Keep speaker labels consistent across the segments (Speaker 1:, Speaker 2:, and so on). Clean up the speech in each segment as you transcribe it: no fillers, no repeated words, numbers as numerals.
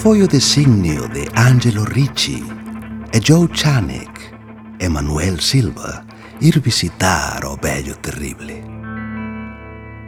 Speaker 1: Foi o designio de Angelo Ricci e Joe Channick e Manuel Silva ir visitar o vello terrible.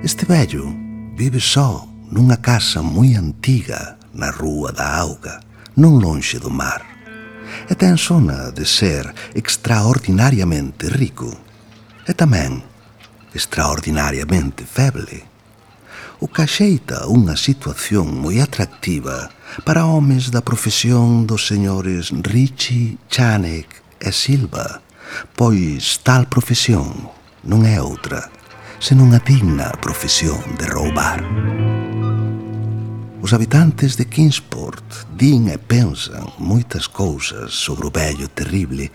Speaker 1: Este vello vive só nunha casa moi antiga na Rúa da Auga, non lonxe do mar, e ten sona de ser extraordinariamente rico e tamén extraordinariamente feble, o que axeita unha situación moi atractiva para homes da profesión dos señores Ricci, Channick e Silva, pois tal profesión non é outra senón a digna profesión de roubar. Os habitantes de Kingsport din e pensan moitas cousas sobre o vello terrible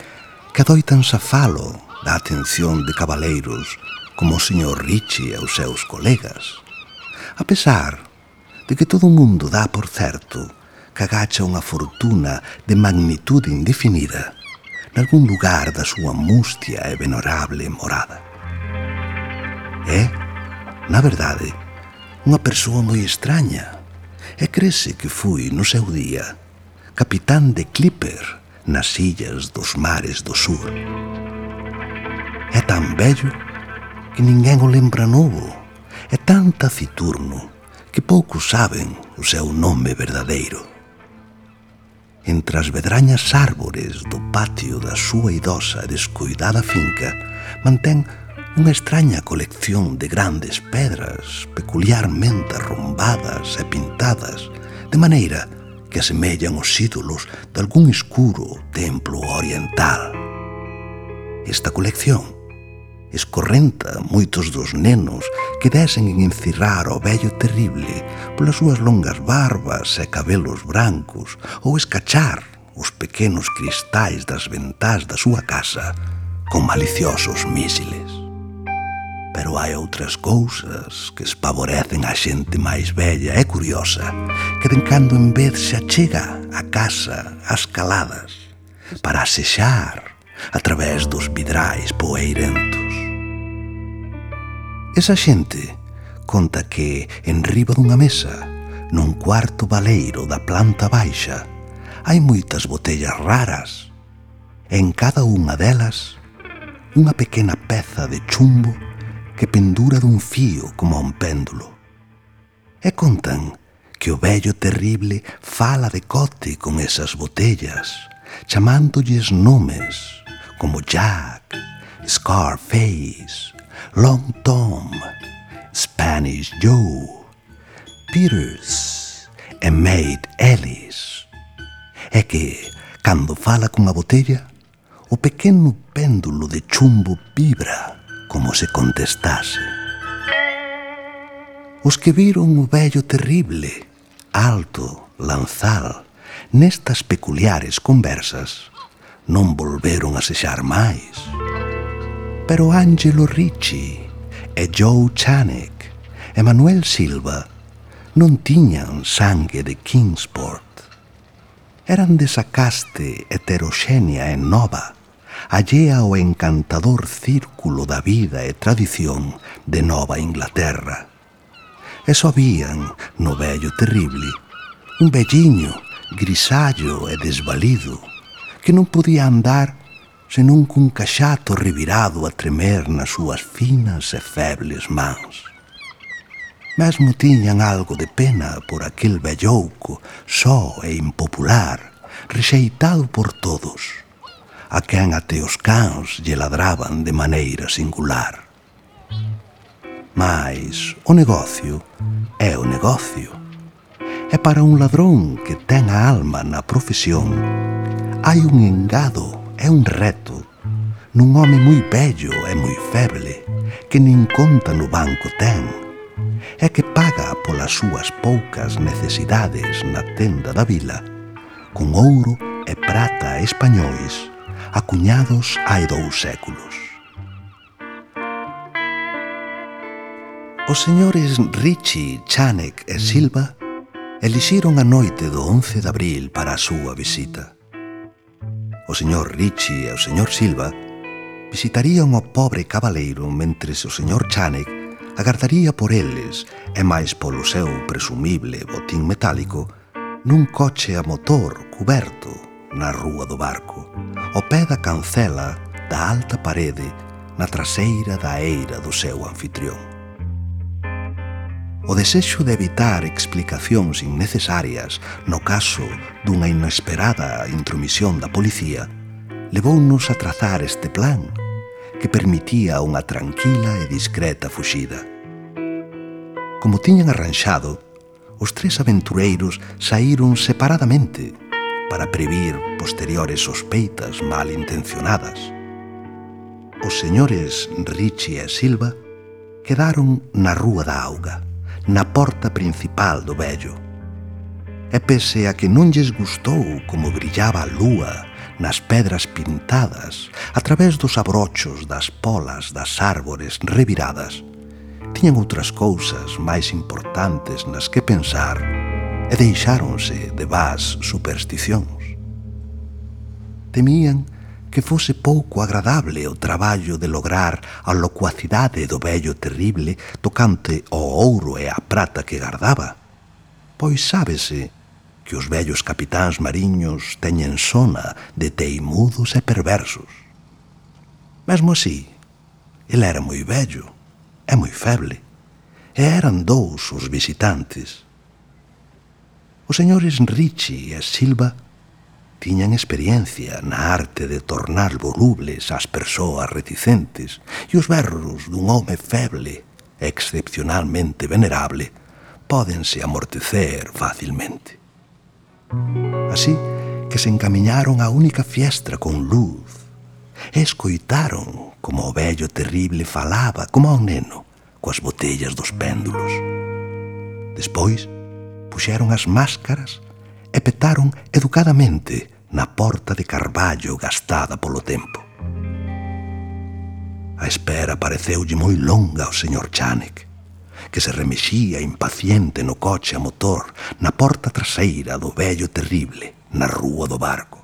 Speaker 1: que adoitan safalo da atención de cabaleiros como o señor Ricci e os seus colegas, a pesar de que todo o mundo dá por certo que agacha unha fortuna de magnitude indefinida nalgún lugar da súa mustia e venerable morada. É, na verdade, unha persoa moi extraña e crese que foi no seu día capitán de Clipper nas illas dos mares do sur. É tan bello que ninguén o lembra novo, é tan taciturno que poucos saben o seu nome verdadeiro. Entre as vedrañas árbores do patio da súa idosa e descuidada finca mantén unha extraña colección de grandes pedras peculiarmente arrombadas e pintadas de maneira que asemellan os ídolos de algún escuro templo oriental. Esta colección escorrenta moitos dos nenos que desen en encirrar o vello terrible polas súas longas barbas e cabelos brancos ou escachar os pequenos cristais das ventás da súa casa con maliciosos mísiles. Pero hai outras cousas que espavorecen a xente máis bella e curiosa que de cando en vez se achega a casa ás caladas para asexar a través dos vidrais poeirentos. Esa xente conta que en riba dunha mesa, nun cuarto baleiro da planta baixa, hai moitas botellas raras e en cada unha delas unha pequena peza de chumbo que pendura dun fío como un péndulo. E contan que o vello terrible fala de cote con esas botellas, chamándolles nomes como Jack, Scarface, Long Tom, Spanish Joe, Peters e Maid Ellis. É que, cando fala cunha botella, o pequeno péndulo de chumbo vibra como se contestase. Os que viron o vello terrible, alto, lanzal, nestas peculiares conversas, non volveron a sexar máis. Pero Angelo Ricci e Joe Channick e Manuel Silva non tiñan sangue de Kingsport. Eran desa caste heteroxénea e nova, allea ao encantador círculo da vida e tradición de Nova Inglaterra. E só vían no vello terrible un velliño grisallo e desvalido que non podía andar senón cun caxato revirado a tremer nas súas finas e febles mans. Mesmo tiñan algo de pena por aquel vellouco só e impopular, rexeitado por todos, a quen até os cans lle ladraban de maneira singular. Mais o negocio é o negocio, e para un ladrón que ten a alma na profesión hai un engado e un reto nun home moi bello e moi feble que nin conta no banco ten e que paga polas súas poucas necesidades na tenda da vila con ouro e prata españois acuñados hai 2 séculos. Os señores Ricci, Channick e Silva elixiron a noite do 11 de abril para a súa visita. O señor Ricci e o señor Silva visitarían o pobre cabaleiro mentres o señor Channick agardaría por eles e máis polo seu presumible botín metálico nun coche a motor cuberto na Rúa do Barco, ao pé da cancela da alta parede na traseira da eira do seu anfitrión. O desexo de evitar explicacións innecesarias no caso dunha inesperada intromisión da policía levounos a trazar este plan que permitía unha tranquila e discreta fuxida. Como tiñan arranxado, os tres aventureiros saíron separadamente para previr posteriores sospeitas mal intencionadas. Os señores Ricci e Silva quedaron na Rúa da Auga, na porta principal do vello. E pese a que non lles gustou como brillaba a lúa nas pedras pintadas a través dos abrochos das polas das árbores reviradas, tiñan outras cousas máis importantes nas que pensar e deixáronse de vás supersticións. Temían que fose pouco agradable o traballo de lograr a locuacidade do vello terrible tocante ao ouro e á prata que gardaba, pois sábese que os vellos capitáns mariños teñen sona de teimudos e perversos. Mesmo así, ele era moi vello e moi feble, e eran dous os visitantes. Os señores Ricci e Silva tiñan experiencia na arte de tornar volubles as persoas reticentes e os berros dun home feble e excepcionalmente venerable pódense amortecer facilmente. Así que se encamiñaron á única fiestra con luz e escoitaron como o vello terrible falaba como a un neno coas botellas dos péndulos. Despois puxeron as máscaras e petaron educadamente na porta de carballo gastada polo tempo. A espera pareceulle moi longa ao señor Chanec, que se remexía impaciente no coche a motor na porta traseira do vello terrible na Rúa do Barco.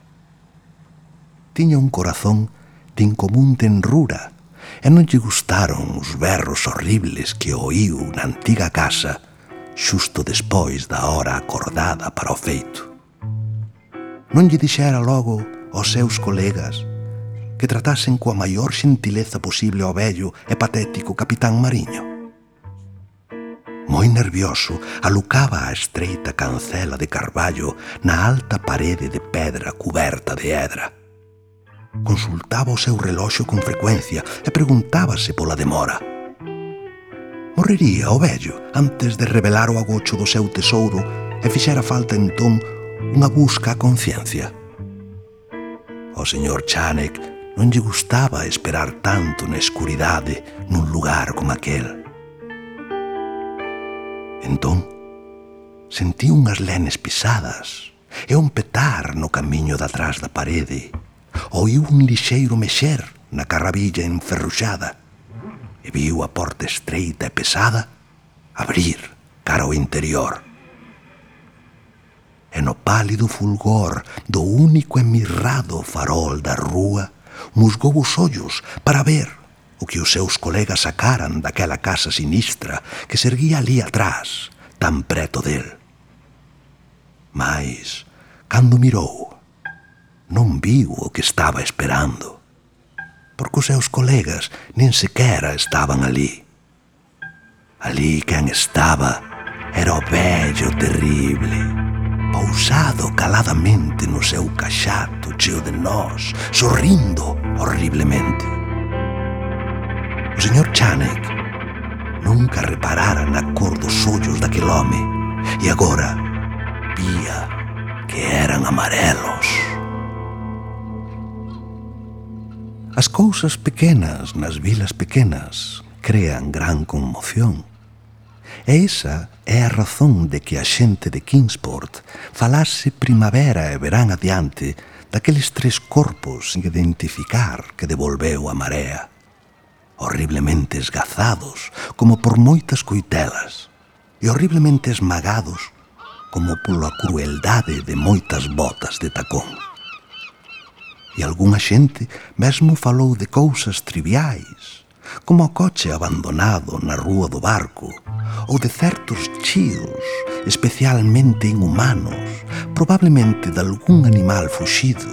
Speaker 1: Tiña un corazón de incomún tenrura e non lle gustaron os berros horribles que oíu na antiga casa xusto despois da hora acordada para o feito. Non lle dixera logo aos seus colegas que tratasen coa maior xentileza posible ao vello e patético capitán mariño. Moi nervioso, alucaba a estreita cancela de carballo na alta parede de pedra cuberta de hedra. Consultaba o seu reloxo con frecuencia e preguntábase pola demora. Morrería o vello antes de revelar o agocho do seu tesouro e fixera falta entón unha busca a conciencia. Ao señor Chanec non lle gustaba esperar tanto na escuridade nun lugar como aquel. Entón, sentí unhas lenes pisadas e un petar no camiño de atrás da parede. Oíu un lixeiro mexer na carrabilla enferruxada e viu a porta estreita e pesada abrir cara ao interior. E no pálido fulgor do único e mirrado farol da rúa musgou os ollos para ver o que os seus colegas sacaran daquela casa sinistra que se erguía ali atrás, tan preto del. Mas, cando mirou, non viu o que estaba esperando, porque os seus colegas nin sequera estaban ali. Ali quen estaba era o vello terrible, pousado caladamente no seu caxato cheo de nós, sorrindo horriblemente. O señor Chanec nunca reparara na cor dos ollos daquel home e agora vía que eran amarelos. As cousas pequenas nas vilas pequenas crean gran conmoción. E esa é a razón de que a xente de Kingsport falase primavera e verán adiante daqueles tres corpos sin identificar que devolveu a marea, horriblemente esgazados como por moitas coitelas e horriblemente esmagados como pola crueldade de moitas botas de tacón. E algunha xente mesmo falou de cousas triviais, como o coche abandonado na Rúa do Barco ou de certos chíos especialmente inhumanos, probablemente de algún animal fuxido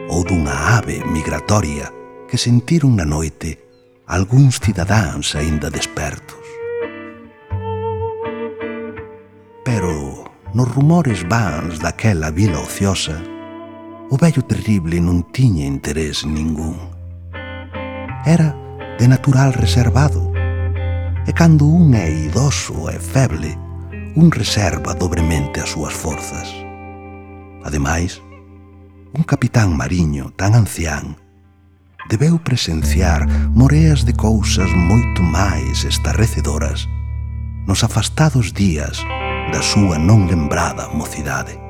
Speaker 1: ou dunha ave migratoria que sentiron na noite algúns cidadáns aínda despertos. Pero nos rumores vans daquela vila ociosa, o vello terrible non tiña interés ningún. Era de natural reservado, e cando un é idoso e feble, un reserva dobremente as súas forzas. Ademais, un capitán mariño tan ancián debeu presenciar moreas de cousas moito máis estarrecedoras nos afastados días da súa non lembrada mocidade.